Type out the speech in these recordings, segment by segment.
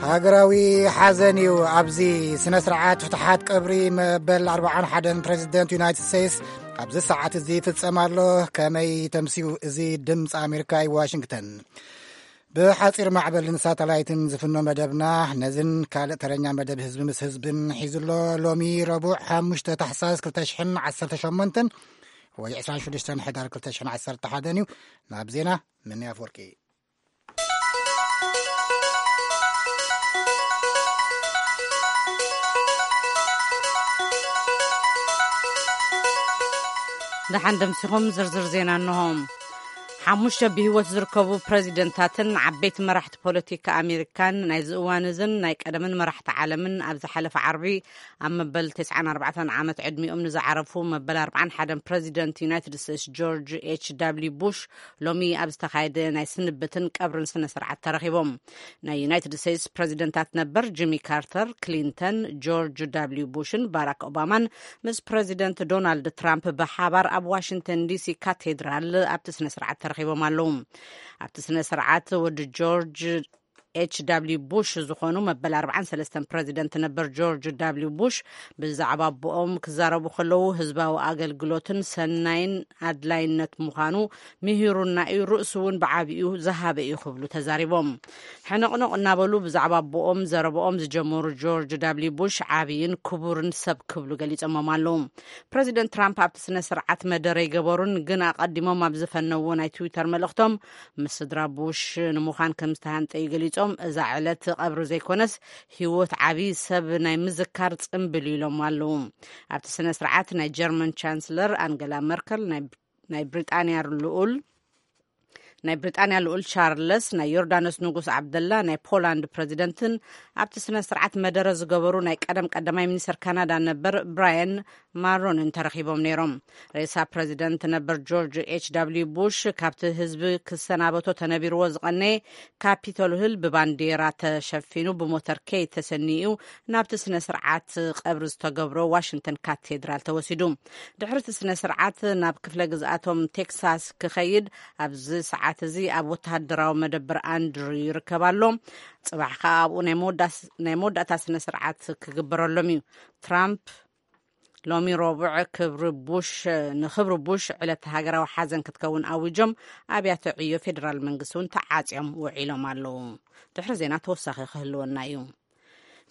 ሃገራዊ ሓዘን እዩ። ኣብዚ ስነ ስርዓት ፍትሓት ቀብሪ መበል ኣርብዓን ሓደን ፕሬዚደንት ዩናይትድ ስቴትስ ኣብዚ ሰዓት እዚ ይፍጸም ኣሎ። ከመይ ተምስዩ እዚ ድምፂ ኣሜሪካ እዩ፣ ዋሽንግተን። ብሓፂር ማዕበልን ሳተላይትን ዝፍኖ መደብና ነዝን ካልእ ተረኛ መደብ ህዝቢ ምስ ህዝብን ሒዙ ኣሎ። ሎሚ ረቡዕ ሓሙሽተ ታሕሳስ ክልተ ሽሕን ዓሰርተ ሸሞንተን ወይ ዕስራን ሽዱሽተን ሕዳር ክልተ ሽሕን ዓሰርተ ሓደን እዩ። ናብ ዜና፣ ምንያ ኣፈወርቂ። ደሓን ደምሲኹም፣ ዝርዝር ዜና እንሆ። ሓሙሽተ ብህይወት ዝርከቡ ፕረዚደንታትን ዓበይቲ መራሕቲ ፖለቲካ ኣሜሪካን ናይዚ እዋን እዝን ናይ ቀደምን መራሕቲ ዓለምን ኣብ ዝሓለፈ ዓርቢ ኣብ መበል ተስዓን ኣርባዕተን ዓመት ዕድሚኦም ንዝዓረፉ መበል ኣርባዓን ሓደን ፕረዚደንት ዩናይትድ ስቴትስ ጆርጅ ኤች ዳብሊው ቡሽ ሎሚ ኣብ ዝተኻየደ ናይ ስንብትን ቀብርን ስነ ስርዓት ተረኺቦም። ናይ ዩናይትድ ስቴትስ ፕረዚደንታት ነበር ጂሚ ካርተር፣ ክሊንተን፣ ጆርጅ ዳብሊው ቡሽን ባራክ ኦባማን ምስ ፕረዚደንት ዶናልድ ትራምፕ ብሓባር ኣብ ዋሽንግተን ዲሲ ካቴድራል ኣብቲ ስነ ስርዓት ተረኺቦም ኣለዉ። ኣብቲ ስነ ስርዓት ወዲ ጆርጅ ኤች ዳብሊው ቡሽ ዝኾኑ መበል ኣርባዓን ሰለስተን ፕረዚደንት ነበር ጆርጅ ዳብሊው ቡሽ ብዛዕባ ኣቦኦም ክዛረቡ ከለዉ፣ ህዝባዊ ኣገልግሎትን ሰናይን ኣድላይነት ምዃኑ ምሂሩና እዩ፣ ርእሱ እውን ብዓቢኡ ዝሃበ እዩ ክብሉ ተዛሪቦም። ሕንቕንቕ እናበሉ ብዛዕባ ኣቦኦም ዘረብኦም ዝጀመሩ ጆርጅ ዳብሊው ቡሽ ዓቢይን ክቡርን ሰብ ክብሉ ገሊጾሞም ኣለዉ። ፕረዚደንት ትራምፕ ኣብቲ ስነ ስርዓት መደረ ኣይገበሩን፣ ግን ኣቐዲሞም ኣብ ዝፈነዎ ናይ ትዊተር መልእኽቶም፣ ምስ ስድራ ቡሽ ንምዃን ከም ዝተሃንጠዩ ገሊጾም፣ እዛ ዕለት ቀብሪ ዘይኮነስ ህይወት ዓቢ ሰብ ናይ ምዝካር ጽምብል ኢሎም ኣለዉ። ኣብቲ ስነ ስርዓት ናይ ጀርመን ቻንስለር ኣንገላ መርከል፣ ናይ፣ ናይ ብሪጣንያ ልኡል ናይ ብሪጣንያ ልኡል ቻርለስ፣ ናይ ዮርዳኖስ ንጉስ ዓብደላ፣ ናይ ፖላንድ ፕረዚደንትን ኣብቲ ስነ ስርዓት መደረ ዝገበሩ ናይ ቀደም ቀዳማይ ሚኒስትር ካናዳ ነበር ብራያን ማሮንን ተረኺቦም ነይሮም። ሬሳ ፕረዚደንት ነበር ጆርጅ ኤች ዳብሊው ቡሽ ካብቲ ህዝቢ ክሰናበቶ ተነቢርዎ ዝቐነየ ካፒቶል ሂል ብባንዲራ ተሸፊኑ ብሞተርከይ ተሰኒዩ ናብቲ ስነ ስርዓት ቀብሪ ዝተገብሮ ዋሽንግተን ካቴድራል ተወሲዱ። ድሕሪ እቲ ስነ ስርዓት ናብ ክፍለ ግዝኣቶም ቴክሳስ ክኸይድ ኣብዚ ሰዓት እዚ ኣብ ወተሃደራዊ መደበር ኣንድሩ ይርከብ ኣሎ። ጽባሕ ከኣ ኣብኡ ናይ መወዳስ-፣ ናይ መወዳእታ ስነ ስርዓት ክግበረሎም እዩ። ትራምፕ ሎሚ ረቡዕ ክብሪ ቡሽ፣ ንክብሪ ቡሽ ዕለት ሃገራዊ ሓዘን ክትከውን ኣዊጆም ኣብያተ ዕዮ ፌደራል መንግስቲ እውን ተዓጽዮም ውዒሎም ኣለዉ። ድሕሪ ዜና ተወሳኺ ክህልወና እዩ።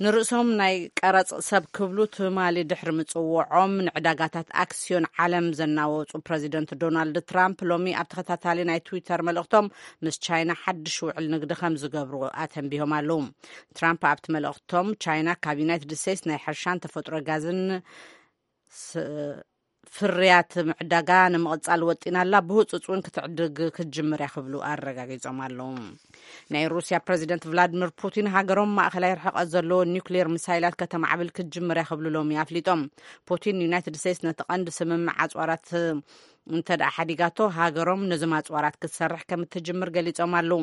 ንርእሶም ናይ ቀረጽ ሰብ ክብሉ ትማሊ ድሕሪ ምጽውዖም ንዕዳጋታት ኣክስዮን ዓለም ዘናወጹ ፕረዚደንት ዶናልድ ትራምፕ ሎሚ ኣብ ተኸታታሊ ናይ ትዊተር መልእኽቶም ምስ ቻይና ሓድሽ ውዕል ንግዲ ከም ዝገብሩ ኣተንቢሆም ኣለዉ። ትራምፕ ኣብቲ መልእኽቶም ቻይና ካብ ዩናይትድ ስቴትስ ናይ ሕርሻን ተፈጥሮ ጋዝን ስ-፣ ፍርያት ምዕዳጋ ንምቕጻል ወጢና ኣላ፣ ብህጹጽ እውን ክትዕድግ ክትጅምር እያ ክብሉ ኣረጋጊጾም ኣለዉ። ናይ ሩስያ ፕረዚደንት ቭላድሚር ፑቲን ሃገሮም ማእኸላይ ርሕቐት ዘለዎ ኒውክሌር ሚሳይላት ከተማዕብል ክትጅምር እያ ክብሉ ሎሚ ኣፍሊጦም። ፑቲን ዩናይትድ ስቴትስ ነቲ ቀንዲ ስምምዕ ኣጽዋራት እንተ ደኣ ሓዲጋቶ፣ ሃገሮም ነዞም ኣጽዋራት ክትሰርሕ ከም እትጅምር ገሊጾም ኣለዉ።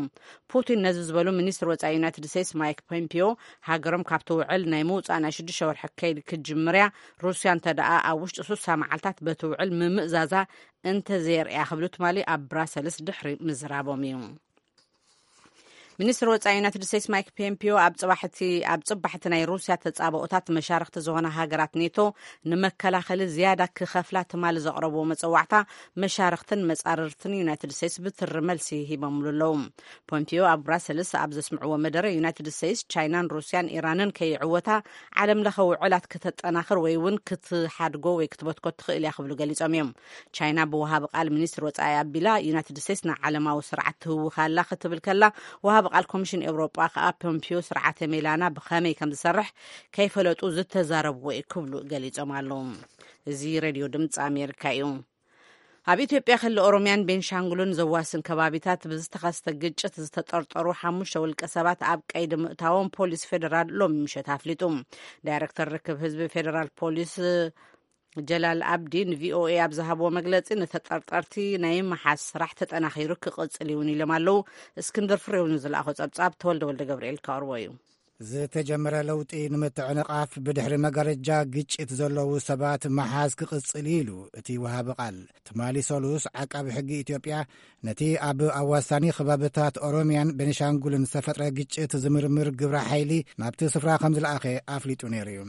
ፑቲን ነዚ ዝበሉ፣ ሚኒስትር ወጻኢ ዩናይትድ ስቴትስ ማይክ ፖምፒዮ ሃገሮም ካብቲ ውዕል ናይ ምውጻእ ናይ ሽዱሽተ ወርሒ ከይዲ ክትጅምር እያ፣ ሩስያ እንተ ደኣ ኣብ ውሽጢ ሱሳ መዓልታት በቲ ውዕል ምምእዛዛ እንተ ዘየርእያ ክብሉ ትማሊ ኣብ ብራሰልስ ድሕሪ ምዝራቦም እዩ። ሚኒስትር ወጻኢ ዩናይትድ ስቴትስ ማይክ ፖምፒዮ ኣብ ጽባሕቲ፣ ኣብ ጽባሕቲ ናይ ሩስያ ተጻብኦታት መሻርኽቲ ዝኾና ሃገራት ኔቶ ንመከላኸሊ ዝያዳ ክኸፍላ ትማሊ ዘቕረብዎ መጸዋዕታ መሻርኽትን መጻርርትን ዩናይትድ ስቴትስ ብትሪ መልሲ ሂቦምሉ ኣለዉ። ፖምፒዮ ኣብ ብራሰልስ ኣብ ዘስምዕዎ መደረ፣ ዩናይትድ ስቴትስ፣ ቻይናን ሩስያን ኢራንን ከይዕወታ ዓለም ለኸ ውዕላት ከተጠናኽር ወይ እውን ክትሓድጎ ወይ ክትበትኮ ትኽእል እያ ክብሉ ገሊጾም እዮም። ቻይና ብወሃቢ ቃል ሚኒስትር ወጻኢ ኣቢላ፣ ዩናይትድ ስቴትስ ንዓለማዊ ስርዓት ትህውኽ ኣላ ክትብል ከላ፣ ወሃቢ ቃል ኮሚሽን ኤውሮጳ ከኣ ፖምፒዮ ስርዓተ ሜላና ብኸመይ ከም ዝሰርሕ ከይፈለጡ ዝተዛረብዎ እዩ ክብሉ ገሊጾም ኣለዉ። እዚ ሬድዮ ድምፂ ኣሜሪካ እዩ። ኣብ ኢትዮጵያ ክልል ኦሮሚያን ቤንሻንጉልን ዘዋስን ከባቢታት ብዝተኸስተ ግጭት ዝተጠርጠሩ ሓሙሽተ ውልቀ ሰባት ኣብ ቀይዲ ምእታዎም ፖሊስ ፌደራል ሎሚ ምሸት ኣፍሊጡ። ዳይሬክተር ርክብ ህዝቢ ፌደራል ፖሊስ ጀላል ኣብዲ ንቪኦኤ ኣብ ዝሃብዎ መግለጺ፣ ንተጠርጠርቲ ናይ ምሓዝ ስራሕ ተጠናኺሩ ክቕጽል እውን ኢሎም ኣለዉ። እስክንድር ፍሬው ንዝለኣኾ ጸብጻብ ተወልደ ወልደ ገብርኤል ከቕርቦ እዩ። ዝተጀመረ ለውጢ ንምትዕንቓፍ ብድሕሪ መጋረጃ ግጭት ዘለዉ ሰባት መሓዝ ክቕጽል እዩ ኢሉ እቲ ወሃቢ ቃል። ትማሊ ሰሉስ ዓቃቢ ሕጊ ኢትዮጵያ ነቲ ኣብ ኣዋሳኒ ከባብታት ኦሮሚያን ቤኒሻንጉልን ዝተፈጥረ ግጭት ዝምርምር ግብረ ሓይሊ ናብቲ ስፍራ ከም ዝለኣኸ ኣፍሊጡ ነይሩ እዩ።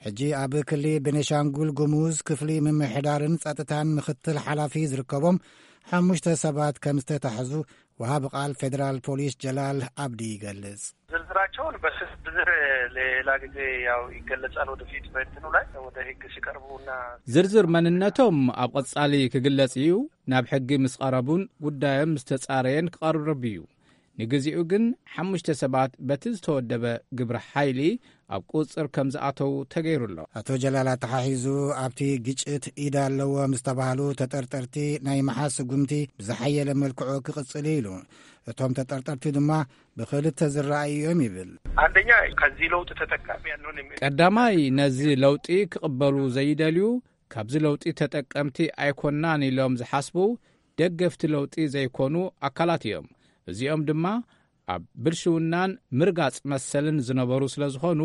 ሕጂ ኣብ ክሊ ቤኒሻንጉል ጉሙዝ ክፍሊ ምምሕዳርን ጸጥታን ምክትል ሓላፊ ዝርከቦም ሓሙሽተ ሰባት ከም ዝተታሕዙ ወሃቢ ቃል ፌደራል ፖሊስ ጀላል ኣብዲ ይገልጽ። ዝርዝራቸውን በዝርዝር ሌላ ጊዜ ያው ይገለጻል። ወደፊት በእንትኑ ላይ ወደ ህግ ሲቀርቡና ዝርዝር መንነቶም ኣብ ቀጻሊ ክግለጽ እዩ። ናብ ሕጊ ምስ ቀረቡን ጉዳዮም ምስ ተጻረየን ክቐርብ እዩ። ንግዚኡ ግን ሓሙሽተ ሰባት በቲ ዝተወደበ ግብረ ሓይሊ ኣብ ቁጽር ከም ዝኣተዉ ተገይሩ ኣሎ። ኣቶ ጀላል ኣተሓሒዙ ኣብቲ ግጭት ኢድ ኣለዎም ዝተባህሉ ተጠርጠርቲ ናይ መሓዝ ስጉምቲ ብዝሓየለ መልክዑ ክቕጽል ኢሉ። እቶም ተጠርጠርቲ ድማ ብኽልተ ዝረኣዩ እዮም ይብል። አንደኛ ከዚህ ለውጥ ተጠቃሚ ያንሆን የሚ- ቀዳማይ ነዚ ለውጢ ክቕበሉ ዘይደልዩ፣ ካብዚ ለውጢ ተጠቀምቲ ኣይኮናን ኢሎም ዝሓስቡ፣ ደገፍቲ ለውጢ ዘይኮኑ ኣካላት እዮም። እዚኦም ድማ ኣብ ብልሽውናን ምርጋጽ መሰልን ዝነበሩ ስለ ዝኾኑ፣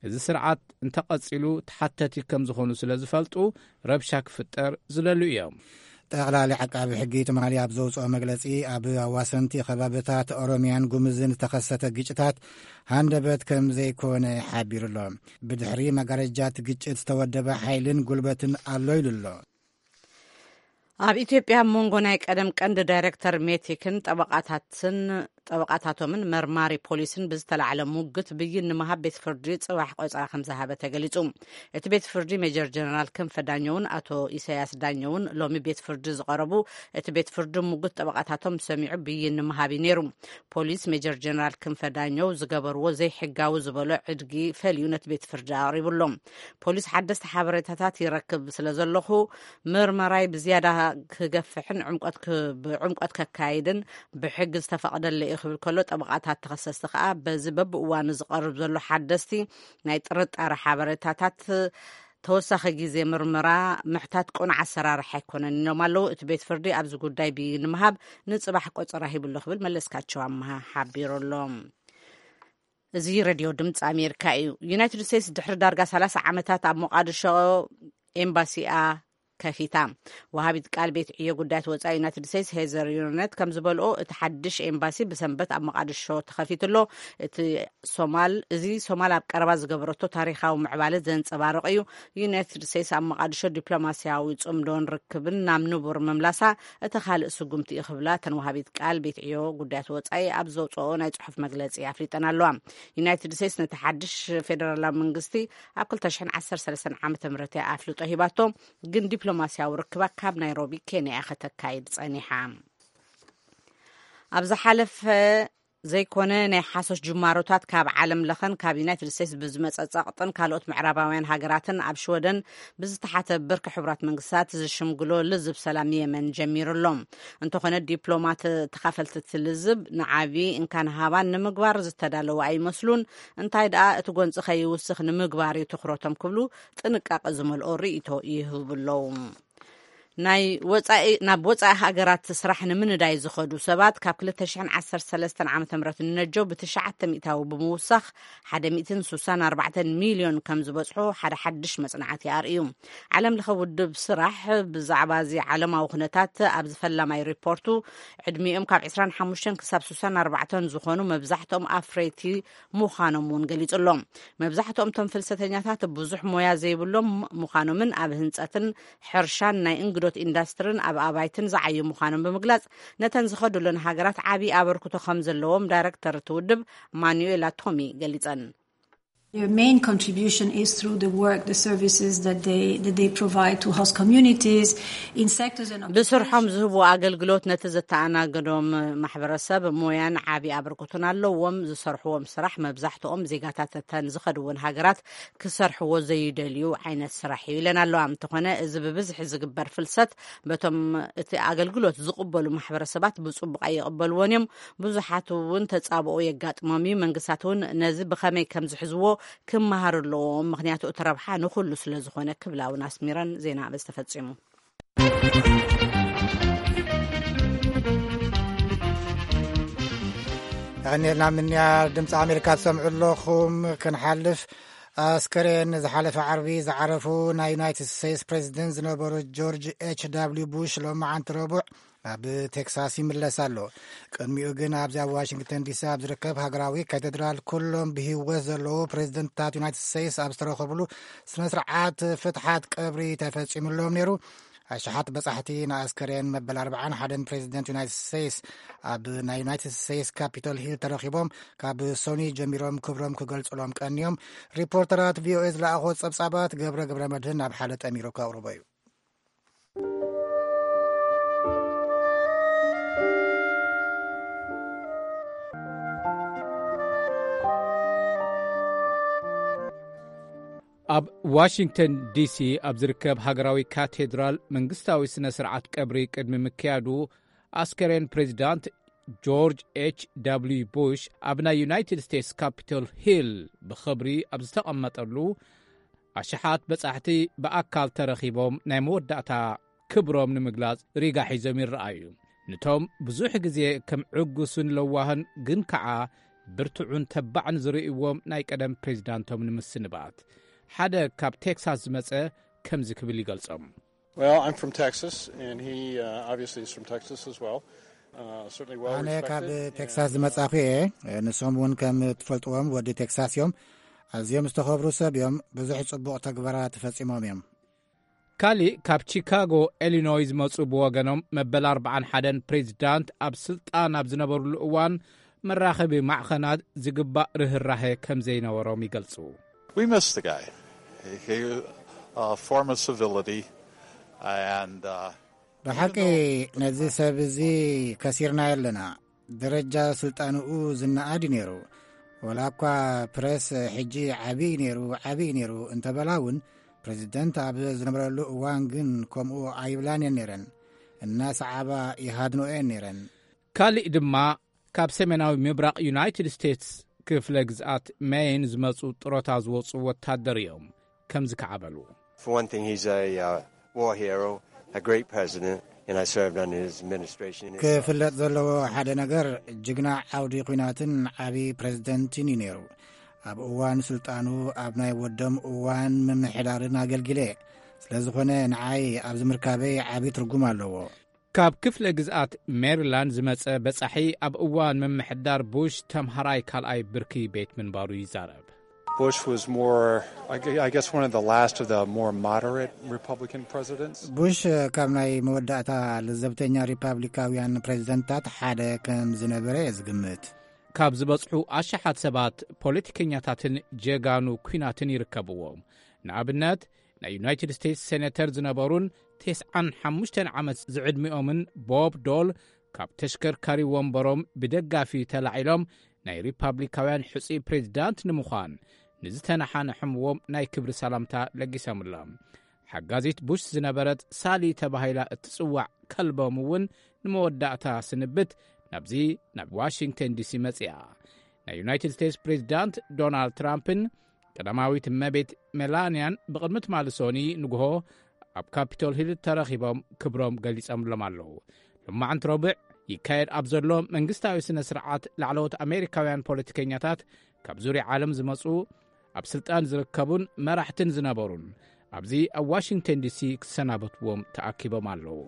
እዚ ስርዓት እንተቐጺሉ ተሓተቲ ከም ዝኾኑ ስለ ዝፈልጡ፣ ረብሻ ክፍጠር ዝደልዩ እዮም። ጠቕላሊ ዓቃቢ ሕጊ ትማሊ ኣብ ዘውፅኦ መግለፂ፣ ኣብ ኣዋሰንቲ ከባብታት ኦሮሚያን ጉምዝን ዝተኸሰተ ግጭታት ሃንደበት ከም ዘይኮነ ሓቢሩ ኣሎ። ብድሕሪ መጋረጃት ግጭት ዝተወደበ ሓይልን ጉልበትን ኣሎ ኢሉ ኣሎ። ኣብ ኢትዮጵያ ኣብ መንጎ ናይ ቀደም ቀንዲ ዳይሬክተር ሜቴክን ጠበቓታትን ጠበቓታቶምን መርማሪ ፖሊስን ብዝተላዕለ ሙግት ብይን ንምሃብ ቤት ፍርዲ ጽባሕ ቆጸራ ከም ዝሃበ ተገሊጹ። እቲ ቤት ፍርዲ ሜጀር ጀነራል ክንፈ ዳኘውን ኣቶ ኢሳያስ ዳኘውን ሎሚ ቤት ፍርዲ ዝቐረቡ፣ እቲ ቤት ፍርዲ ሙግት ጠበቓታቶም ሰሚዑ ብይን ንምሃብ እዩ ነይሩ። ፖሊስ ሜጀር ጀነራል ክንፈ ዳኘው ዝገበርዎ ዘይሕጋዊ ዝበሎ ዕድጊ ፈልዩ ነቲ ቤት ፍርዲ ኣቕሪቡ ኣሎ። ፖሊስ ሓደስቲ ሓበሬታታት ይረክብ ስለ ዘለኹ፣ ምርመራይ ብዝያዳ ክገፍሕን ዕምቆት ክ-፣ ብዕምቆት ከካይድን ብሕጊ ዝተፈቕደለይ እዩ ክብል ከሎ፣ ጠበቓታት ተኸሰስቲ ከኣ በዚ በብእዋኑ ዝቐርብ ዘሎ ሓደስቲ ናይ ጥርጣረ ሓበሬታታት ተወሳኺ ግዜ ምርመራ ምሕታት ቅኑዕ ኣሰራርሓ ኣይኮነን ኢሎም ኣለዉ። እቲ ቤት ፍርዲ ኣብዚ ጉዳይ ብይን ንምሃብ ንጽባሕ ቆጸራ ሂቡ ኣሎ ክብል መለስካቸው ኣምሃ ሓቢሩ ኣሎ። እዚ ሬድዮ ድምፂ ኣሜሪካ እዩ። ዩናይትድ ስቴትስ ድሕሪ ዳርጋ ሰላሳ ዓመታት ኣብ ሞቃዲሾ ኤምባሲኣ ከፊታ። ወሃቢት ቃል ቤት ዕዮ ጉዳያት ወጻኢ ዩናይትድ ስቴትስ ሄዘር ዩነት ከም ዝበልኦ፣ እቲ ሓድሽ ኤምባሲ ብሰንበት ኣብ መቃድሾ ተኸፊቱ ኣሎ። እቲ ሶማል፣ እዚ ሶማል ኣብ ቀረባ ዝገበረቶ ታሪኻዊ ምዕባለ ዘንጸባርቕ እዩ። ዩናይትድ ስቴትስ ኣብ መቃድሾ ዲፕሎማስያዊ ጽምዶን ርክብን ናብ ንቡር ምምላሳ እቲ ካልእ ስጉምቲ እዩ ክብላ እተን ወሃቢት ቃል ቤት ዕዮ ጉዳያት ወጻኢ ኣብ ዘውጽኦ ናይ ጽሑፍ መግለጺ ኣፍሊጠን ኣለዋ። ዩናይትድ ስቴትስ ነቲ ሓድሽ ፌደራላዊ መንግስቲ ኣብ ክልተ ሽሕን ዓሰርተ ሰለስተን ዓመተ ምህረት እያ ኣፍልጦ ሂባቶ። ግን ዲፕሎማስያዊ ርክባ ካብ ናይሮቢ ኬንያ እያ ከተካይድ ጸኒሓ። ኣብ ዝሓለፈ ዘይኮነ ናይ ሓሶት ጅማሮታት ካብ ዓለም ለኸን ካብ ዩናይትድ ስቴትስ ብዝመጸ ጸቕጥን ካልኦት ምዕራባውያን ሃገራትን ኣብ ሽወደን ብዝተሓተ ብርኪ ሕቡራት መንግስታት ዝሽምግሎ ልዝብ ሰላም የመን ጀሚሩ ኣሎ። እንተኾነ ዲፕሎማት ተኻፈልቲ እቲ ልዝብ ንዓቢ እንካን ሃባን ንምግባር ዝተዳለዉ ኣይመስሉን። እንታይ ደኣ እቲ ጎንፂ ከይውስኽ ንምግባር እዩ ትኹረቶም ክብሉ ጥንቃቐ ዝመልኦ ርእይቶ ይህቡ ኣለዉ። ናይ ወጻኢ፣ ናብ ወጻኢ ሃገራት ስራሕ ንምንዳይ ዝኸዱ ሰባት ካብ ክልተ ሽሕን ዓሰርተ ሰለስተን ዓመተ ምህረት ንነጀው ብትሽዓተ ሚእታዊ ብምውሳኽ ሓደ ሚእትን ስሳን ኣርባዕተን ሚልዮን ከም ዝበጽሑ ሓደ ሓድሽ መጽናዕቲ ኣርእዩ። ዓለም ለኸ ውድብ ስራሕ ብዛዕባ እዚ ዓለማዊ ኩነታት ኣብዚ ፈላማይ ሪፖርቱ ዕድሚኦም ካብ ዕስራን ሓሙሽተን ክሳብ ስሳን ኣርባዕተን ዝኾኑ መብዛሕትኦም ኣፍረይቲ ምዃኖም እውን ገሊጹ ኣሎ። መብዛሕትኦም እቶም ፍልሰተኛታት ብዙሕ ሞያ ዘይብሎም ምዃኖምን ኣብ ህንጸትን ሕርሻን ናይ እንግዶት ኢንዳስትርን ኣብ ኣባይትን ዝዓዩ ምዃኖም ብምግላጽ፣ ነተን ዝኸዱለን ሃገራት ዓቢ ኣበርክቶ ከም ዘለዎም ዳይረክተር እቲ ውድብ ማኑኤላ ቶሚ ገሊጸን። Their main contribution is through the work, the services that they, that they provide to host communities in sectors and ብስርሖም ዝህቡ ኣገልግሎት ነቲ ዘተኣናገዶም ማሕበረሰብ ሞያን ዓቢ ኣበርክቶን ኣለዎም። ዝሰርሕዎም ስራሕ መብዛሕትኦም ዜጋታት እተን ዝኸድወን ሃገራት ክሰርሕዎ ዘይደልዩ ዓይነት ስራሕ እዩ ኢለን ኣለዋ። እንተኾነ እዚ ብብዝሒ ዝግበር ፍልሰት በቶም እቲ ኣገልግሎት ዝቕበሉ ማሕበረሰባት ብጽቡቕ ኣይቕበልዎን እዮም። ብዙሓት እውን ተጻብኦ የጋጥሞም እዩ። መንግስታት እውን ነዚ ብኸመይ ከም ዝሕዝዎ ክመሃሩ ኣለዎም። ምኽንያቱ እቲ ረብሓ ንኹሉ ስለ ዝኾነ ክብላ እውን ኣስሚረን ዜና በዚ ተፈጺሙ። ቀኒልና ምንያ ድምፂ ኣሜሪካ ትሰምዑ ኣለኹም። ክንሓልፍ ኣስከሬን ዝሓለፈ ዓርቢ ዝዓረፉ ናይ ዩናይትድ ስቴትስ ፕሬዚደንት ዝነበሩ ጆርጅ ኤች ዳብሊው ቡሽ ሎማዓንቲ ረቡዕ ናብ ቴክሳስ ይምለስ ኣሎ። ቅድሚኡ ግን ኣብዚ ኣብ ዋሽንግተን ዲሲ ኣብ ዝርከብ ሃገራዊ ካቴድራል ኩሎም ብህይወት ዘለዉ ፕሬዚደንትታት ዩናይትድ ስቴትስ ኣብ ዝተረኸብሉ ስነ ስርዓት ፍትሓት ቀብሪ ተፈፂሙሎም ነይሩ። ኣሽሓት በጻሕቲ ንኣስከሬን መበል ኣርባዓን ሓደን ፕሬዚደንት ዩናይትድ ስቴትስ ኣብ ናይ ዩናይትድ ስቴትስ ካፒቶል ሂል ተረኺቦም ካብ ሶኒ ጀሚሮም ክብሮም ክገልጹሎም ቀንዮም። ሪፖርተራት ቪኦኤ ዝለኣኾ ጸብጻባት ገብረ ገብረ መድህን ኣብ ሓደ ጠሚሩ ከቕርቦ እዩ። ኣብ ዋሽንግተን ዲሲ ኣብ ዝርከብ ሃገራዊ ካቴድራል መንግስታዊ ስነ ስርዓት ቀብሪ ቅድሚ ምክያዱ ኣስከሬን ፕሬዚዳንት ጆርጅ ኤች ዳብሊው ቡሽ ኣብ ናይ ዩናይትድ ስቴትስ ካፒቶል ሂል ብኽብሪ ኣብ ዝተቐመጠሉ ኣሽሓት በጻሕቲ ብኣካል ተረኺቦም ናይ መወዳእታ ክብሮም ንምግላጽ ሪጋ ሒዞም ይረኣዩ። ንቶም ብዙሕ ግዜ ከም ዕጉስን ለዋህን ግን ከኣ ብርቱዕን ተባዕን ዝርእይዎም ናይ ቀደም ፕሬዚዳንቶም ንምስንባት ሓደ ካብ ቴክሳስ ዝመጸ ከምዚ ክብል ይገልጾም። Well, I'm from Texas, and he uh, obviously is from Texas as well. Uh, certainly well ኣነ ካብ respected. ቴክሳስ ዝመጻኹ እየ። ንሶም እውን ከም ትፈልጥዎም ወዲ ቴክሳስ እዮም። ኣዝዮም ዝተኸብሩ ሰብ እዮም። ብዙሕ ጽቡቕ ተግባራት ፈጺሞም እዮም። ካሊእ ካብ ቺካጎ ኢሊኖይ ዝመጹ ብወገኖም መበል ኣርባዓን ሓደን ፕሬዚዳንት ኣብ ስልጣን ኣብ ዝነበሩሉ እዋን መራኸቢ ማዕኸናት ዝግባእ ርህራሄ ከም ዘይነበሮም ይገልጹ። We missed the guy. He, uh, form of civility and uh, ብሓቂ ነዚ ሰብ እዚ ከሲርናዮ ኣለና። ደረጃ ስልጣንኡ ዝነኣድ እዩ ነይሩ። ወላ እኳ ፕረስ ሕጂ ዓብዪ ነይሩ ዓብዪ ነይሩ እንተበላ እውን ፕሬዚደንት ኣብ ዝነበረሉ እዋን ግን ከምኡ ኣይብላን እየን ነይረን። እናሰዓባ ይሃድንኦ እየን ነይረን። ካሊእ ድማ ካብ ሰሜናዊ ምብራቕ ዩናይትድ ስቴትስ ክፍለ ግዝኣት ሜይን ዝመጹ ጥሮታ ዝወጹ ወታደር እዮም። ከምዚ ከዓበሉ። For one thing, he's a uh, war hero, a great president, and I served under his administration. ክፍለጥ ዘለዎ ሓደ ነገር ጅግና ዓውዲ ኲናትን ዓቢ ፕሬዝደንትን እዩ ነይሩ። ኣብ እዋን ስልጣኑ ኣብ ናይ ወዶም እዋን ምምሕዳርን ኣገልጊለ። ስለ ዝኾነ ንዓይ ኣብዚ ምርካበይ ዓቢ ትርጉም ኣለዎ። ካብ ክፍለ ግዝኣት ሜሪላንድ ዝመጸ በጻሒ ኣብ እዋን ምምሕዳር ቡሽ ተምሃራይ ካልኣይ ብርኪ ቤት ምንባሩ ይዛረብ። Bush was more, I gue- I guess, one of the last of the more moderate Republican presidents. ቡሽ ካብ ናይ መወዳእታ ለዘብተኛ ሪፓብሊካውያን ፕሬዝደንታት ሓደ ከም ዝነበረ እየ ዝግምት። ካብ ዝበጽሑ ኣሽሓት ሰባት ፖለቲከኛታትን ጀጋኑ ኲናትን ይርከብዎም። ንኣብነት ናይ ዩናይትድ ስቴትስ ሴኔተር ዝነበሩን ተስዓን ሓሙሽተን ዓመት ዝዕድሚኦምን ቦብ ዶል ካብ ተሽከርካሪ ወንበሮም ብደጋፊ ተላዒሎም ናይ ሪፓብሊካውያን ሕጹይ ፕሬዚዳንት ንምዃን ንዝተነሓነሕምዎም ናይ ክብሪ ሰላምታ ለጊሶምሎም። ሓጋዚት ቡሽ ዝነበረት ሳሊ ተባሂላ እትጽዋዕ ከልቦም እውን ንመወዳእታ ስንብት ናብዚ ናብ ዋሽንግተን ዲሲ መጺኣ። ናይ ዩናይትድ ስቴትስ ፕሬዚዳንት ዶናልድ ትራምፕን ቀዳማዊት እመቤት ሜላንያን ብቕድሚ ትማሊ ሶኒ ንግሆ ኣብ ካፒቶል ሂል ተረኺቦም ክብሮም ገሊጾምሎም ኣለዉ። ሎማዓንቲ ረቡዕ ይካየድ ኣብ ዘሎ መንግስታዊ ስነ ስርዓት ላዕለዎት ኣሜሪካውያን ፖለቲከኛታት ካብ ዙርያ ዓለም ዝመጹ ኣብ ስልጣን ዝርከቡን መራሕትን ዝነበሩን ኣብዚ ኣብ ዋሽንግተን ዲሲ ክሰናበትዎም ተኣኪቦም ኣለዉ።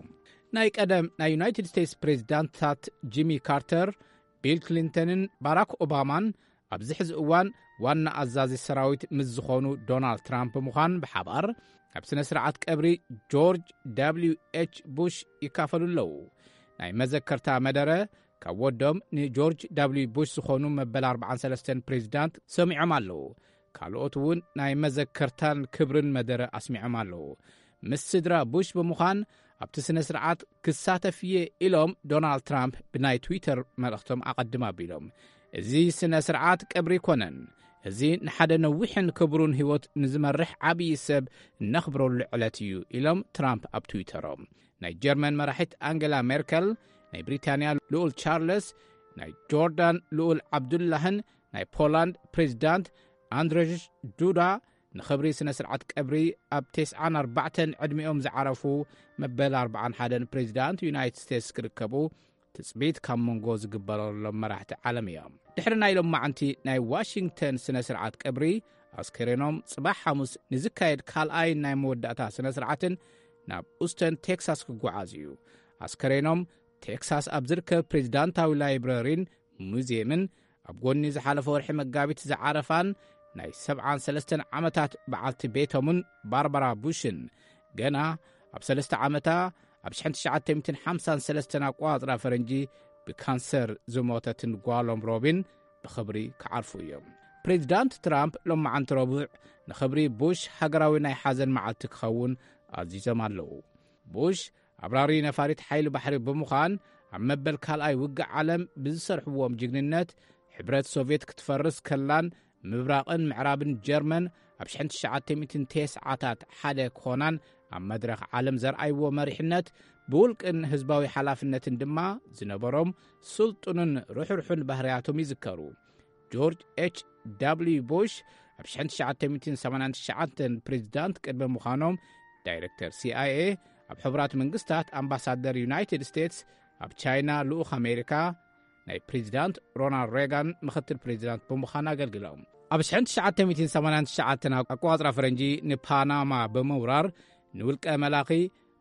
ናይ ቀደም ናይ ዩናይትድ ስቴትስ ፕሬዚዳንትታት ጂሚ ካርተር፣ ቢል ክሊንተንን ባራክ ኦባማን ኣብዚ ሕዚ እዋን ዋና ኣዛዚ ሰራዊት ምስ ዝኾኑ ዶናልድ ትራምፕ ብምዃን ብሓባር ኣብ ስነ ስርዓት ቀብሪ ጆርጅ ደብሊው ኤች ቡሽ ይካፈሉ ኣለዉ። ናይ መዘከርታ መደረ ካብ ወዶም ንጆርጅ ደብሊው ቡሽ ዝኾኑ መበል ኣርባዓን ሰለስተን ፕሬዚዳንት ሰሚዖም ኣለዉ። ካልኦት እውን ናይ መዘከርታን ክብርን መደረ ኣስሚዖም ኣለዉ። ምስ ስድራ ቡሽ ብምዃን ኣብቲ ስነ ስርዓት ክሳተፍ እየ ኢሎም ዶናልድ ትራምፕ ብናይ ትዊተር መልእኽቶም ኣቐድም ኣቢሎም። እዚ ስነ ስርዓት ቀብሪ ኣይኮነን፣ እዚ ንሓደ ነዊሕን ክቡርን ህይወት ንዝመርሕ ዓብዪ ሰብ እነኽብረሉ ዕለት እዩ ኢሎም ትራምፕ ኣብ ትዊተሮም። ናይ ጀርመን መራሒት ኣንገላ ሜርከል፣ ናይ ብሪታንያ ልኡል ቻርለስ፣ ናይ ጆርዳን ልኡል ዓብዱላህን ናይ ፖላንድ ፕሬዚዳንት ኣንድሬጅ ዱዳ ንኽብሪ ስነ ስርዓት ቀብሪ ኣብ ተስዓን ኣርባዕተን ዕድሚኦም ዝዓረፉ መበል ኣርባዓን ሓደን ፕሬዚዳንት ዩናይትድ ስቴትስ ክርከቡ ትጽቢት ካብ መንጎ ዝግበረሎም መራሕቲ ዓለም እዮም። ድሕሪ ናይ ሎማዓንቲ ናይ ዋሽንግተን ስነ ስርዓት ቀብሪ፣ ኣስከሬኖም ጽባሕ ሓሙስ ንዝካየድ ካልኣይ ናይ መወዳእታ ስነ ስርዓትን ናብ ኡስተን ቴክሳስ ክጓዓዝ እዩ። ኣስከሬኖም ቴክሳስ ኣብ ዝርከብ ፕሬዚዳንታዊ ላይብረሪን ሙዚየምን፣ ኣብ ጎኒ ዝሓለፈ ወርሒ መጋቢት ዝዓረፋን ናይ ሰብዓን ሰለስተን ዓመታት በዓልቲ ቤቶምን ባርባራ ቡሽን፣ ገና ኣብ ሰለስተ ዓመታ፣ ኣብ ሽሕን ትሽዓተ ሚእትን ሓምሳን ሰለስተን ኣቆጻጽራ ፈረንጂ ብካንሰር ዝሞተትን ጓሎም ሮቢን ብኽብሪ ክዓርፉ እዮም። ፕሬዚዳንት ትራምፕ ሎማዓንቲ ረቡዕ ንኽብሪ ቡሽ ሃገራዊ ናይ ሓዘን መዓልቲ ክኸውን ኣዚዞም ኣለዉ። ቡሽ ኣብራሪ ነፋሪት ሓይሊ ባሕሪ ብምዃን፣ ኣብ መበል ካልኣይ ውግእ ዓለም ብዝሰርሕዎም ጅግንነት፣ ሕብረት ሶቭየት ክትፈርስ ከላን ምብራቕን ምዕራብን ጀርመን ኣብ ሽሕን ትሽዓተ ሚእትን ተስዓታት ሓደ ክኾናን ኣብ መድረኽ ዓለም ዘርኣይዎ መሪሕነት፣ ብውልቅን ህዝባዊ ሓላፍነትን ድማ ዝነበሮም ስልጡንን ርሕርሑን ባህርያቶም ይዝከሩ። ጆርጅ ኤች ደብልዩ ቡሽ ኣብ ሽሕን ትሽዓተ ሚእትን ሰማንያን ትሽዓተን ፕሬዚዳንት ቅድሚ ምዃኖም፣ ዳይሬክተር ሲኣይኤ፣ ኣብ ሕቡራት መንግስታት ኣምባሳደር ዩናይትድ ስቴትስ፣ ኣብ ቻይና ልኡኽ ኣሜሪካ፣ ናይ ፕሬዚዳንት ሮናልድ ሬጋን ምኽትል ፕሬዚዳንት ብምዃን ኣገልግሎም። ኣብ ሽሕን ትሽዓተ ሚእትን ሰማንያን ትሽዓተን ኣቆጻጽራ ፈረንጂ ንፓናማ ብምውራር፣ ንውልቀ መላኺ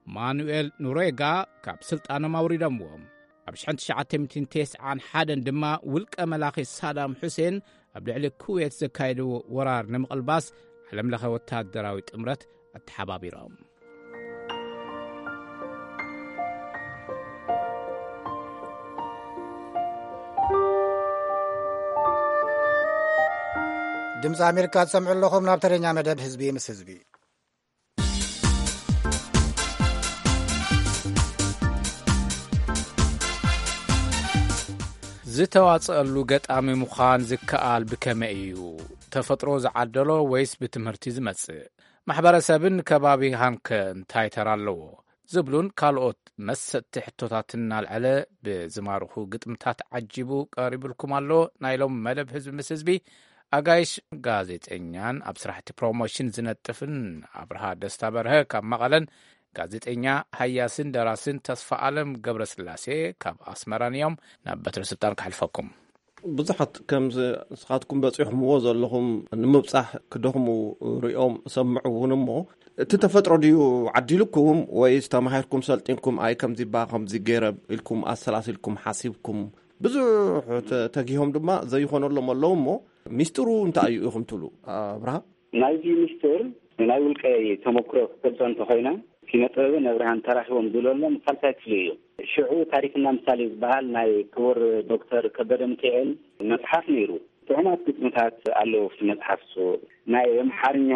ማኑኤል ኖሬጋ ካብ ስልጣኖም ኣውሪዶምዎም። ኣብ ሽሕን ትሽዓተ ሚእትን ተስዓን ሓደን ድማ ውልቀ መላኺ ሳዳም ሑሴን ኣብ ልዕሊ ኩዌት ዘካየድዎ ወራር ንምቕልባስ ዓለምለኸ ወታደራዊ ጥምረት ኣተሓባቢሮም። ድምፂ ኣሜሪካ ትሰምዑ ኣለኹም። ናብ ተረኛ መደብ ህዝቢ ምስ ህዝቢ። ዝተዋጽኣሉ ገጣሚ ምዃን ዝከኣል ብከመይ እዩ? ተፈጥሮ ዝዓደሎ ወይስ ብትምህርቲ ዝመጽእ? ማሕበረሰብን ከባቢኻን ከ እንታይ ተራ ኣለዎ? ዝብሉን ካልኦት መሰጥቲ ሕቶታትን እናልዐለ ብዝማርኹ ግጥምታት ዓጂቡ ቀሪቡልኩም ኣሎ። ናይ ሎም መደብ ህዝቢ ምስ ህዝቢ ኣጋይሽ ጋዜጠኛን ኣብ ስራሕቲ ፕሮሞሽን ዝነጥፍን ኣብርሃ ደስታ በርሀ ካብ መቐለን፣ ጋዜጠኛ ሃያስን ደራስን ተስፋ ኣለም ገብረስላሴ ካብ ኣስመራን እዮም። ናብ በትሪ ስልጣን ከሕልፈኩም። ብዙሓት ከምዚ ንስኻትኩም በፂኹምዎ ዘለኹም ንምብፃሕ ክደኽሙ ሪኦም እሰምዕ እውን እሞ፣ እቲ ተፈጥሮ ድዩ ዓዲልኩም ወይስ ተማሂርኩም ሰልጢንኩም፣ ኣይ ከምዚ ባ ከምዚ ገይረ ኢልኩም ኣሰላሲልኩም ሓሲብኩም? ብዙሕ ተ-፣ ተጊሆም ድማ ዘይኾነሎም ኣለዉ እሞ፣ ሚስጥሩ እንታይ እዩ ኢኹም ትብሉ ኣብርሃ? ናይዚ ሚስጥር ናይ ውልቀይ ተመክሮ ክገልጾ እንተኾይነ፣ ኪነ ጥበብን ኣብርሃን ተራኺቦም ዝብለሎም ሳልሳይ ክፍሊ እዩ። ሽዑ ታሪክና ምሳሌ ዝበሃል ናይ ክቡር ዶክተር ከበደ ሚካኤል መጽሓፍ ነይሩ። ጥዑማት ግጥምታት ኣለዉ ኣብቲ መጽሓፍ እሱ። ናይ ኣምሓርኛ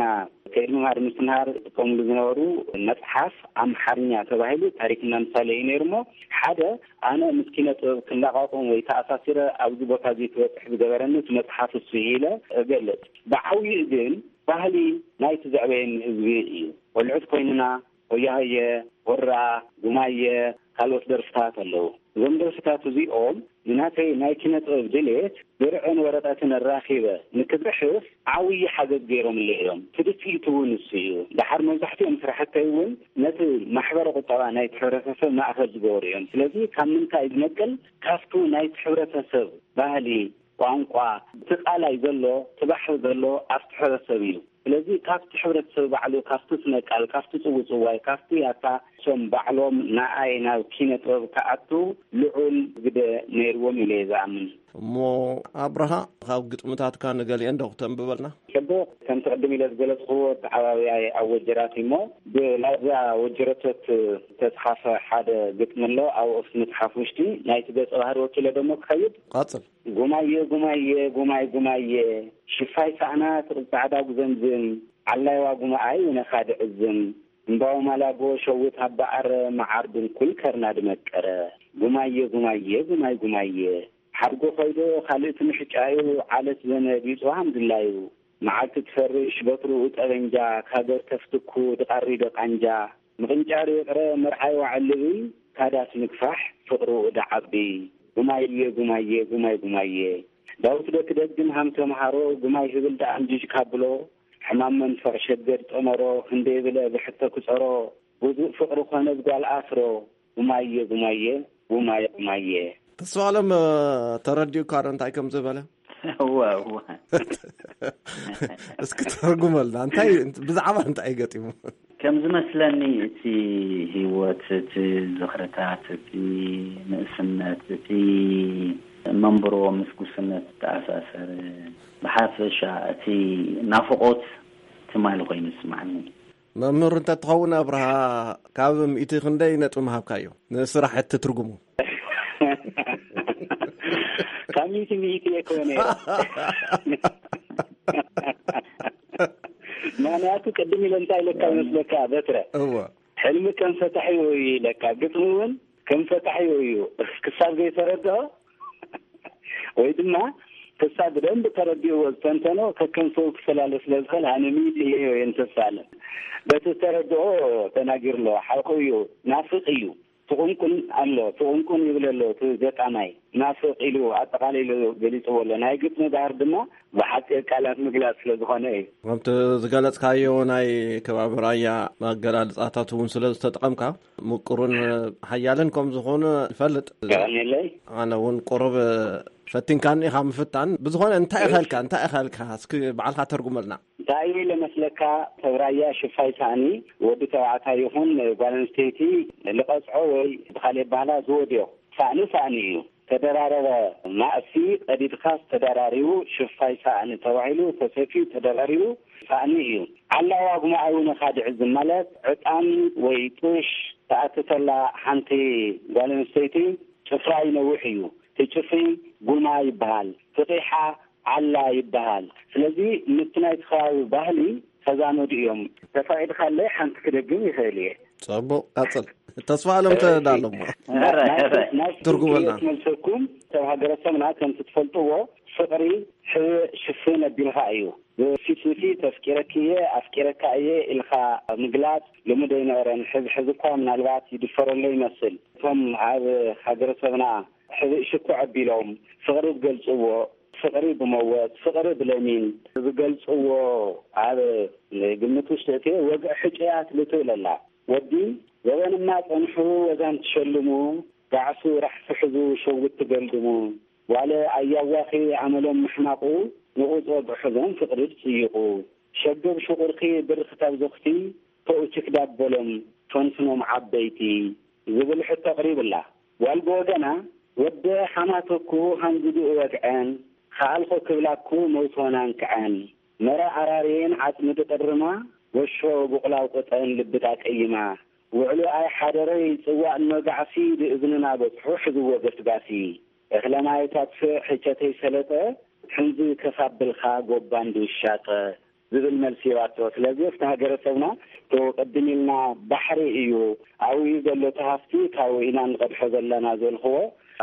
ከይዲ ምምሃር ምስትምሃር ዝጥቀምሉ ዝነበሩ መጽሓፍ ኣምሓርኛ ተባሂሉ ታሪክና ምሳሌ እዩ ነይሩ እሞ፣ ሓደ ኣነ ምስ ኪነ ጥበብ ክላቓቖም ወይ ተኣሳሲረ ኣብዚ ቦታ እዚ ክበጽሕ ዝገበረኒ እቲ መጽሓፍ እሱ እዩ ኢለ እገልጽ። ብዓብይኡ ግን ባህሊ ናይቲ ዘዕበየኒ ህዝቢ እዩ። ቆልዑት ኮይንና፣ ሆያሆየ፣ ወራ፣ ጉማየ፣ ካልኦት ደርፍታት ኣለዉ። እዞም ደርፍታት እዚኦም ንናተይ ናይ ኪነ ጥበብ ድሌት ብርዕን ወረቐትን ኣራኺበ ንክጽሕፍ ዓብዪ ሓገዝ ገይሮምለይ እዮም። ፍልፍሊቱ እውን እሱ እዩ። ደሓር መብዛሕትኦም ስራሕተይ እውን ነቲ ማሕበረ ቁጠባ ናይቲ ሕብረተሰብ ማእከል ዝገበሩ እዮም። ስለዚ ካብ ምንታይ ዝነቅል? ካብቱ ናይቲ ሕብረተሰብ ባህሊ፣ ቋንቋ፣ እቲ ቃላይ ዘሎ፣ እቲ ባሕሪ ዘሎ ኣብቲ ሕብረተሰብ እዩ። ስለዚ ካብቲ ሕብረተሰብ ባዕሉ፣ ካብቲ ስነ ቃል፣ ካብቲ ጽውጽዋይ፣ ካብቲ ያታ፣ እሶም ባዕሎም ንኣይ ናብ ኪነ ጥበብ ክኣቱ ልዑል ግደ ነይርዎም ኢለ እየ ዝኣምን። እሞ ኣብርሃ፣ ካብ ግጥምታትካ ንገሊአን ዶ ክተንብበልና? ጽቡቕ፣ ከምቲ ቅድም ኢለ ዝገለጽክዎ፣ ኣተዓባብያይ ኣብ ወጀራት እዩ እሞ፣ ብላዛ ወጀረቶት ዝተጽሓፈ ሓደ ግጥሚ ኣሎ። ኣብኡ ኣብቲ መጽሓፍ ውሽጢ ናይቲ ገጸ ባህሪ ወኪለ ደሞ ክኸይድ። ቀጽል። ጉማየ፣ ጉማየ፣ ጉማይ፣ ጉማየ፣ ሽፋይ ሳእና ትቕብ ጻዕዳ ጉዘምዝም፣ ዓላይዋ ጉማኣይ ውነኻ ድዕዝም፣ እምባው ማላጎ ሸውት ኣባኣረ፣ መዓር ድንኩል ከርና ድመቀረ። ጉማየ፣ ጉማየ፣ ጉማይ፣ ጉማየ፣ ሓድጎ ኸይዶ ካልእ እቲ ምሕጫዩ፣ ዓለት ዘመድ ይጽዋሃም ድላዩ፣ መዓልቲ ትፈርሽ በትርኡ ጠበንጃ፣ ካገር ተፍትኩ ድቓሪ ደቓንጃ፣ ምቕንጫር ይቕረ መርዓይ ዋዕልቢ፣ ካዳስ ምግፋሕ ፍቕርኡ ደዓቢ። ጉማየ፣ ጉማየ፣ ጉማይ፣ ጉማየ። ዳዊት ዶ ክደግም ሃም ተምሃሮ፣ ጉማይ ህብል ደኣ እንጅጅ ካብሎ፣ ሕማም መንፈቕ ሸገድ ጠመሮ፣ ክንደይ ብለ ብሕቶ ክጸሮ፣ ውዱእ ፍቕሪ ኮነ ብጓል ኣፍሮ፣ ጉማየ፣ ጉማየ፣ ጉማየ ጉማየ። ተስፋ ኣለም ተረዲኡ ካረ እንታይ ከም ዝበለ? እዋ እዋ። እስኪ ተርጉመልና እንታይ? ብዛዕባ እንታይ ገጢሙ? ከም ዝመስለኒ እቲ ህይወት፣ እቲ ዝኽርታት፣ እቲ ንእስነት፣ እቲ መንብሮ ምስ ጉስነት ዝተኣሳሰር፣ ብሓፈሻ እቲ ናፍቖት ትማሊ ኮይኑ ይስማዓኒ። መምህር እንተትኸውን ኣብርሃ፣ ካብ ሚእቲ ክንደይ ነጥቢ ምሃብካዮ ንስራሕ እትትርጉሙ? ካብ ሚእቲ ሚእቲ እየ ክኾነ። ምክንያቱ ቅድም ኢለ እንታይ ኢለካ መስለካ በትረ? እወ። ሕልሚ ከም ፈታሒ እዩ ኢለካ፣ ግጥሚ እውን ከም ፈታሒ እዩ። ክሳብ ዘይተረድኦ ወይ ድማ ክሳብ ብደንብ ተረዲእዎ ዝተንተኖ ከከም ሰው ክፈላለ ስለ ዝኽእል ኣነ ሚእቲ እየ ወይም ተስፋ ኣለ። በቲ ዝተረድኦ ተናጊሩ ኣለዎ። ሓቁ እዩ፣ ናፍቕ እዩ። ትቑንቁን ኣሎ፣ ትቑንቁን ይብል ኣሎ እቲ ገጣማይ። ናፍቕ ኢሉ ኣጠቓሊሉ ገሊፅዎ ኣሎ። ናይ ግጥሚ ባህር ድማ ብሓፂር ቃላት ምግላፅ ስለ ዝኾነ እዩ። ከምቲ ዝገለፅካዮ ናይ ከባቢ ራያ ኣገላልፃታት እውን ስለ ዝተጠቐምካ ምቁርን ሓያልን ከም ዝኾነ ይፈልጥ። የቐንየለይ። ኣነ እውን ቁሩብ ፈቲንካኒ ኢኻ ምፍታን። ብዝኾነ እንታይ ኢኻ ኢልካ እንታይ ኢኻ ኢልካ እስኪ ባዕልካ ተርጉመልና። እንታይ ኢለ መስለካ? ሰብ ራያ ሽፋይ ሳእኒ ወዲ ተባዕታይ ይኹን ጓል ኣንስተይቲ ልቐፅዖ ወይ ብኻልእ ባህላ ዝወድዮ ሳእኒ ሳእኒ እዩ። ተደራረበ ማእሲ ቀዲድካስ ተደራሪቡ ሽፋይ ሳእኒ ተባሂሉ ተሰፍዩ ተደራሪቡ ሳእኒ እዩ። ዓላዋ ጉማዓዊ ነኻድዕ ዝመለት ዕጣን ወይ ጡሽ ተኣትተላ ሓንቲ ጓል ኣንስተይቲ ጭፍራ ይነውሕ እዩ። እቲ ጭፍሪ ጉማ ይበሃል። ፍቒሓ ዓላ ይበሃል። ስለዚ ምስቲ ናይቲ ከባቢ ባህሊ ተዛመዱ እዮም። ተፈቒድካለይ ሓንቲ ክደግም ይኽእል እየ። ጽቡቕ፣ ቀጽል። ተስፋ ኣለም ተዳሎ እሞ። ሕራይ፣ ሕራይ። ናይ ትርጉመልና። መልሰኩም ሰብ ሃገረሰብና ከምቲ ትፈልጥዎ ፍቕሪ ሕብእ ሽፍን ኣቢልካ እዩ። ብፊት ንፊት ኣፍቂረኪ እየ ኣፍቂረካ እየ ኢልካ ምግላጽ ልሙድ ኣይነበረን። ሕዚ ሕዚ እኳ ምናልባት ይድፈረሎ ይመስል። እቶም ኣብ ሃገረሰብና ሕብእ ሽኩዕ ኣቢሎም ፍቕሪ ዝገልጽዎ ፍቕሪ ብመወት ፍቕሪ ብለሚን ዝገልጽዎ ኣብ ግምት ውሽጢ እቲ ወግዒ ሕጩያት ልትብል ኣላ። ወዲ ዘበንማ ጸንሑ ወዛን ትሸልሙ ጋዕሱ ራሕሲ ሕዙ ሸዊት ትገልድሙ ዋለ ኣያዋኺ ኣመሎም ምሕማቑ ንቑጽ ወግዒ ሕዞም ፍቕሪ ትጽይቑ ሸገብ ሽቑርኪ ብርኽታብ ዞኽቲ ተኡችክ ዳበሎም ፈንፍኖም ዓበይቲ ዝብል ሕቶ ኣቕሪብላ። ጓል ብወገና ወደ ሓማተኩ ሃንግዱኡ ወግዐን፣ ከኣልኾ ክብላኩ መውቶናን ክዐን፣ መረ ኣራርየን ዓጽሚ ድቕርማ፣ ወሾ ብቑላው ቅጠን ልቢ ዳቀይማ፣ ውዕሉ ኣይ ሓደረይ ጽዋእ እኖ ጋዕሲ ድእዝንና በጽሑ ሕዝዎ ገስጋሲ፣ እኽለ ማይ ታጥፍእ ሕቸተይ ሰለጠ፣ ሕንዚ ከፋብልካ ጎባን ድውሻጠ። ዝብል መልሲ ይዋቶ። ስለዚ ኣብቲ ሃገረሰብና እቲ ቅድም ኢልና ባሕሪ እዩ ኣብኡ ዘሎ እቲ ሃፍቲ ካብኡ ኢና ንቐድሖ ዘለና ዘልክዎ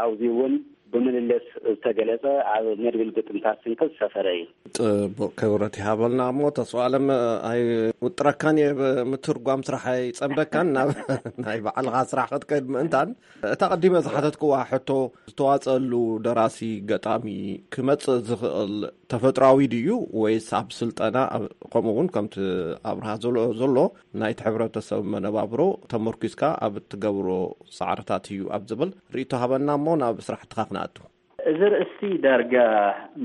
ኣብዚ እውን ብምልልስ ዝተገለጸ ኣብ መድብል ግጥምታት ስንቂ ዝሰፈረ እዩ። ጽቡቕ ክብረት ይሃበልና። እሞ ተስፋ ኣለም ኣይውጥረካን እየ፣ ብምትርጓም ስራሕ ኣይጸምደካን ናብ ናይ ባዕልኻ ስራሕ ክትከይድ ምእንታን እታ ቀዲመ ዝሓተትክዋ ሕቶ ዝተዋጸሉ ደራሲ ገጣሚ ክመጽእ ዝኽእል ተፈጥራዊ ድዩ ወይስ ኣብ ስልጠና ኣብ- ከምኡ እውን ከምቲ ኣብርሃ ዘሎ ዘሎ ናይቲ ሕብረተሰብ መነባብሮ ተመርኪስካ ኣብ እትገብሮ ጻዕርታት እዩ ኣብ ዝብል ርእይቶ ሃበና እሞ ናብ ስራሕትኻ ክንኣቱ። እዚ ርእሲ ዳርጋ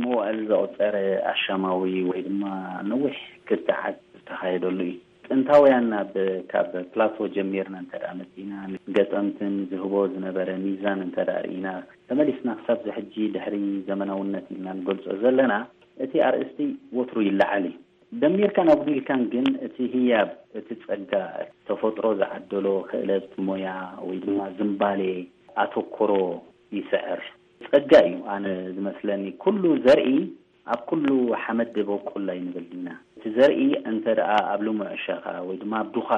መዋእል ዘቑፀረ ኣሻማዊ ወይ ድማ ነዊሕ ክትዓት ዝተኻየደሉ እዩ። ጥንታውያን ናብ ካብ ፕላቶ ጀሚርና እንተ ደኣ መፂና ንገጠምትን ዝህቦ ዝነበረ ሚዛን እንተ ደኣ ርኢና ተመሊስና ክሳብ ዝሕጂ ድሕሪ ዘመናውነት ኢልና ንገልፆ ዘለና እቲ ኣርእስቲ ወትሩ ይለዓል እዩ። ደሚርካን ኣጉዲልካን ግን እቲ ህያብ እቲ ጸጋ ተፈጥሮ ዝዓደሎ ክእለት ሞያ ወይ ድማ ዝንባሌ ኣተኮሮ ይስዕር። ጸጋ እዩ ኣነ ዝመስለኒ ኩሉ ዘርኢ ኣብ ኩሉ ሓመድ ደበቁል ኣይንብል ኢና። እቲ ዘርኢ እንተ ደኣ ኣብ ልሙዕ እሸኻ ወይ ድማ ኣብ ዱኻ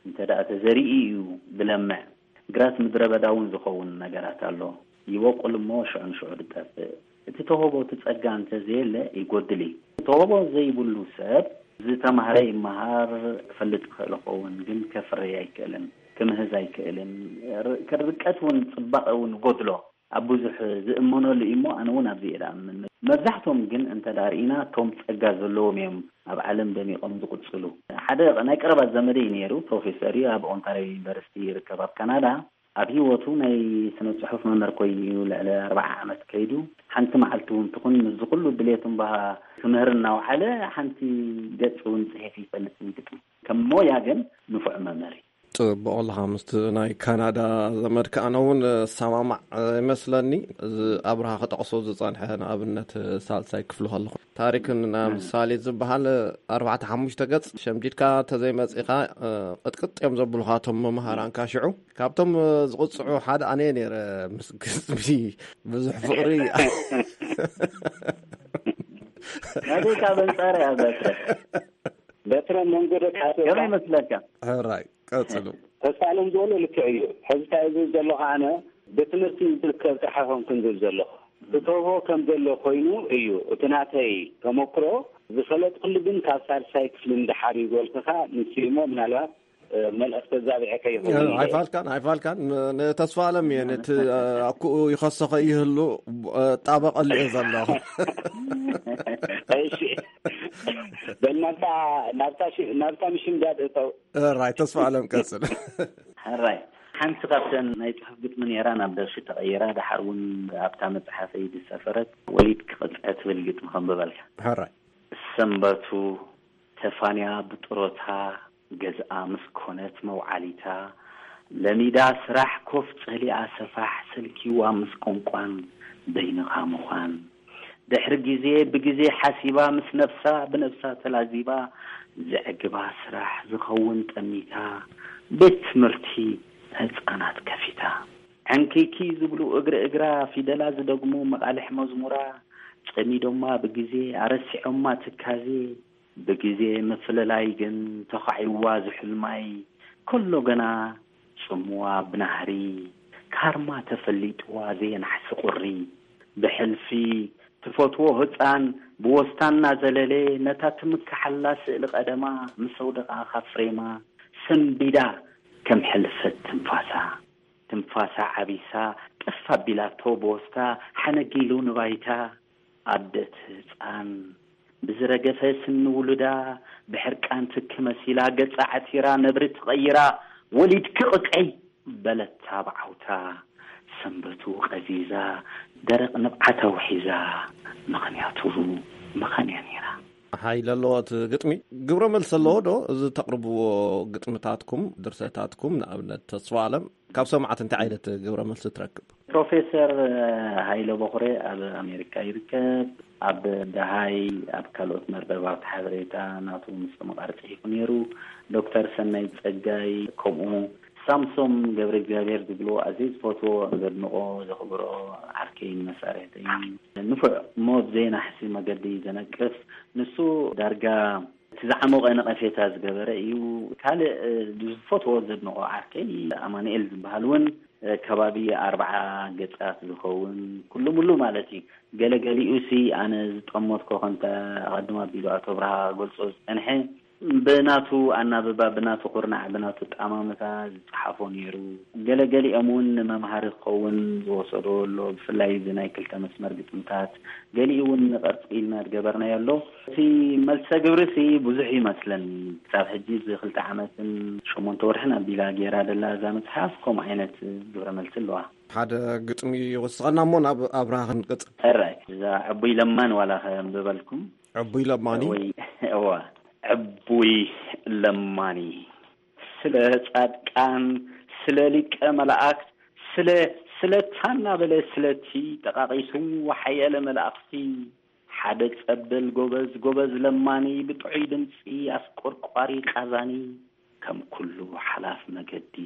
እንተ ደኣ ተዘሪኡ እዩ ዝለምዕ። ግራት ምድረ በዳ እውን ዝኸውን ነገራት ኣሎ። ይበቁል እሞ ሽዑ ንሽዑ ዝጠፍእ። እቲ ተውህቦ እቲ ጸጋ እንተ ዘየለ ይጎድል እዩ። ተውህቦ ዘይብሉ ሰብ ዝተማህረ ይመሃር፣ ክፈልጥ ይኽእል ይኸውን ግን ከፍርይ ኣይክእልን፣ ክምህዝ ኣይክእልን። ር- ርቀት እውን ጽባቐ እውን ይጎድሎ። ኣብ ብዙሕ ዝእመነሉ እዩ እሞ ኣነ እውን ኣብዚ እየ ዝኣምን። መብዛሕቶም ግን እንተ ደኣ ርኢና እቶም ጸጋ ዘለዎም እዮም ኣብ ዓለም ደሚቖም ዝቕጽሉ። ሓደ ናይ ቀረባ ዘመደይ ነይሩ፣ ፕሮፌሰር እዩ፣ ኣብ ኦንታርዮ ዩኒቨርሲቲ ይርከብ ኣብ ካናዳ። ኣብ ህይወቱ ናይ ስነ ጽሑፍ መምህር ኮይኑ እዩ ልዕሊ ኣርባዓ ዓመት ከይዱ። ሓንቲ መዓልቲ እውን ትኹን ምስዚ ኩሉ ድሌት እምበሃ ክምህር እናውዓለ ሓንቲ ገጽ እውን ጽሒፍ ይፈልጥ እዩ ግጥሚ። ከም ሞያ ግን ንፉዕ መምህር እዩ። ጽቡቕ ኣለኻ። ምስቲ ናይ ካናዳ ዘመድካ ኣነ እውን እሰማማዕ ይመስለኒ። እዚ ኣብርሃ ክጠቕሶ ዝጸንሐ ንኣብነት ሳልሳይ ክፍሊ ከለኹ ታሪክን ምሳሌ ዝበሃል ኣርባዕተ ሓሙሽተ ገጽ ሸምዲድካ ተዘይመጺኻ ቅጥቅጥ እዮም ዘብሉኻ እቶም መምሃራንካ። ሽዑ ካብቶም ዝቕጽዑ ሓደ ኣነ ነይረ። ምስ ግጥሚ ብዙሕ ፍቕሪ ናተይ ካብ ኣንጻር እያ በትረ። በትረ መንጎ ደቂ ኣትወካ ከመይ ይመስለካ? ሕራይ ቀጽሉ። ተስፋ ኣለም ዝበሎ ልክዕ እዩ። ሕዚ እንታይ ዝብል ዘለኹ ኣነ ብትምህርቲ ዝርከብ ጥራሕ ኣይኮንኩን ዝብል ዘለኹ። ትተቦ ከም ዘሎ ኮይኑ እዩ እቲ ናተይ ተመክሮ። ዝፈለጥኩሉ ግን ካብ ሳልሳይ ክፍሊ ንደሓር እዩ ዝበልኩኻ ንሱ እሞ ምናልባት መልእኽቲ ኣዛቢዐካ ይኸውን እንደ። ኣይፋልካን ኣይፋልካን። ን- ንተስፋ ኣለም እየ ነቲ ኣኩኡ ይኸሰኸ ይህሉ ጣበቐሉ እየ ዘለኹ። እሺ በል ናብታ ናብታ ሽ- ናብታ ምሽምዳድ እተው። ራይ ተስፋ ኣለም ቀጽል። ሕራይ ሓንቲ ካብተን ናይ ጽሑፍ ግጥሚ ነይራ ናብ ደርፊ ተቐይራ፣ ደሓር እውን ኣብታ መጽሓፈይ ዝሰፈረት ወሊድ ክቕጽዐ ትብል ግጥሚ ከንብበልካ። ሕራይ ሰንበቱ ተፋንያ ብጥሮታ ገዝኣ ምስ ኮነት መውዓሊታ፣ ለሚዳ ስራሕ ኮፍ ጸሊኣ ሰፋሕ ሰልኪዋ ምስ ቋንቋን በይንኻ ምዃን። ድሕሪ ግዜ ብግዜ ሓሲባ ምስ ነብሳ ብነብሳ ተላዚባ፣ ዘዕግባ ስራሕ ዝኸውን ጠሚታ፣ ቤት ትምህርቲ ህጻናት ከፊታ። ዕንክይክይ ዝብሉ እግሪ እግራ ፊደላ ዝደግሙ መቓልሕ መዝሙራ፣ ጸሚዶማ ብግዜ ኣረሲዖማ ትካዜ፣ ብግዜ ምፍልላይ ግን ተኻዒዋ ዝሑል ማይ፣ ከሎ ገና ጽምዋ ብናህሪ፣ ካርማ ተፈሊጥዋ ዘየናሕሲ ቁሪ። ብሕልፊ ትፈትዎ ህጻን ብወስታ እናዘለለ፣ ነታ ትምክሓላ ስእሊ ቀደማ ምስ ኣውደቓ ካብ ፍሬማ፣ ሰንቢዳ ከም ሕልፈት ትንፋሳ። ትንፋሳ ዓቢሳ ጠፍ ኣቢላቶ ብወስታ ሓነጊሉ ንባይታ። ኣደት ህጻን ብዝረገፈ ስኒ ውሉዳ ብሕርቃን ትኪ መሲላ ገጻ ዓቲራ ነብሪ ትቐይራ ወሊድኪ ቅቀይ በለታ ብዓውታ ሰንበቱ ቀዚዛ ደረቕ ንብዓት ኣውሒዛ ምኽንያቱ መኻን እያ ነይራ። ሓይሊ ኣለዎ እቲ ግጥሚ። ግብረ መልሲ ኣለዎ ዶ? እዚ ተቕርብዎ ግጥምታትኩም፣ ድርሰታትኩም ንኣብነት ተስፋ ኣለም ካብ ሰማዕቲ እንታይ ዓይነት ግብረ መልሲ ትረክብ? ፕሮፌሰር ሃይለ በኹሬ ኣብ ኣሜሪካ ይርከብ። ኣብ ደሃይ ኣብ ካልኦት መርበባት ሓበሬታ ናቱ ምስ ተመቓሪ ጽሒፉ ነይሩ። ዶክተር ሰናይ ጸጋይ ከምኡ። ሳምሶም ገብረ እግዚኣብሔር ዝብሎ ኣዝየ ዝፈትዎ ዘድንቆ ዘኽብሮ ዓርከይን መሳርሕተይን ንፉዕ እሞ ብዘየናሕሲ መገዲ ዘነቅፍ ንሱ ዳርጋ እቲ ዝዓሞቐ ነቐፌታ ዝገበረ እዩ። ካልእ ዝፈትዎ ዘድንቆ ዓርከይ ኣማኑኤል ዝበሃል እውን ከባቢ ኣርብዓ ገጻት ዝኸውን ኩሉ ሙሉ ማለት እዩ። ገለገሊኡ ሲ ኣነ ዝጠመትኮ ከምቲ ኣቐድም ኣቢሉ ኣቶ ብርሃ ክገልጾ ዝጸንሐ ብናቱ ኣናብባ ብናቱ ኩርናዕ ብናቱ ጠማምታ ዝጸሓፎ ነይሩ። ገለገሊኦም እውን ንመምሃሪ ክኸውን ዝወሰዶ ኣሎ። ብፍላይ እዚ ናይ ክልተ መስመር ግጥምታት ገሊኡ እውን ንቐርጺ ኢልና ዝገበርናዮ ኣሎ። እቲ መልሰ ግብርሲ ብዙሕ ይመስለኒ። ክሳብ ሕጂ እዚ ክልተ ዓመትን ሸሞንተ ወርሕን ኣቢላ ገይራ ደላ እዛ መጽሓፍ ከምኡ ዓይነት ግብረ መልሲ ኣለዋ። ሓደ ግጥሚ ይወስኸና እሞ ናብ ኣብርሃ ክንቅጽል። ሕራይ እዛ ዕቡይ ለማን ዋላ ከንብበልኩም። ዕቡይ ለማኒ። ወይ እዋ ዕቡይ ለማኒ ስለ ጻድቃን ስለ ሊቀ መላእክት ስለ ስለታ እናበለ ስለቲ ጠቃቂሱ ሓየለ መላእክቲ ሓደ ጸበል ጎበዝ ጎበዝ ለማኒ ብጥዑይ ድምጺ ኣስቆርቋሪ ቃዛኒ ከም ኩሉ ሓላፍ መገዲ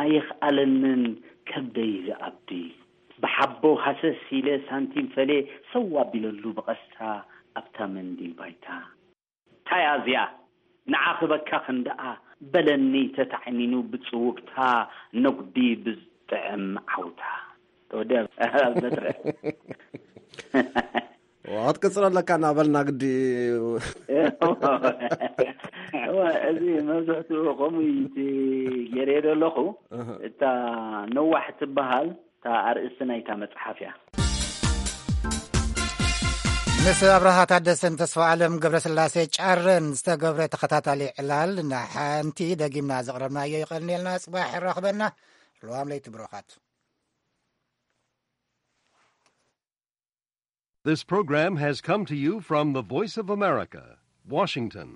ኣየኽኣለንን ከብደይ ዝኣቢ ብሓቦ ሃሰስ ኢለ ሳንቲም ፈሌ ሰው ኣቢለሉ ብቐስታ ኣብታ መንዲል ባይታ። ታይ ኣዝያ ንዓኽበካ ክንደኣ በለኒ ተታዕኒኑ ብጽውግታ ነጉዲ ብዝጥዕም ዓውታ። ተወዲኣ በትረ። ክትቅጽሎ ኣለካ እናበልና ግዲ። እወ፣ እዚ መብዝሕትኡ ከምኡ እዩ እቲ ገይረዮ ዘለኹ። እታ ነዋሕ ትበሃል እታ ኣርእስቲ ናይታ መጽሓፍ እያ። ምስ ኣብርሃ ታደሰን ተስፋ ኣለም ገብረስላሴ ጫረን ዝተገብረ ተኸታታሊ ዕላል ንሓንቲ ደጊምና ዘቕረብናዮ ይቐንየልና። ጽባሕ የራኽበና። ለዋም ለይቲ ብሩኻት። This program has come to you from the Voice of America, Washington.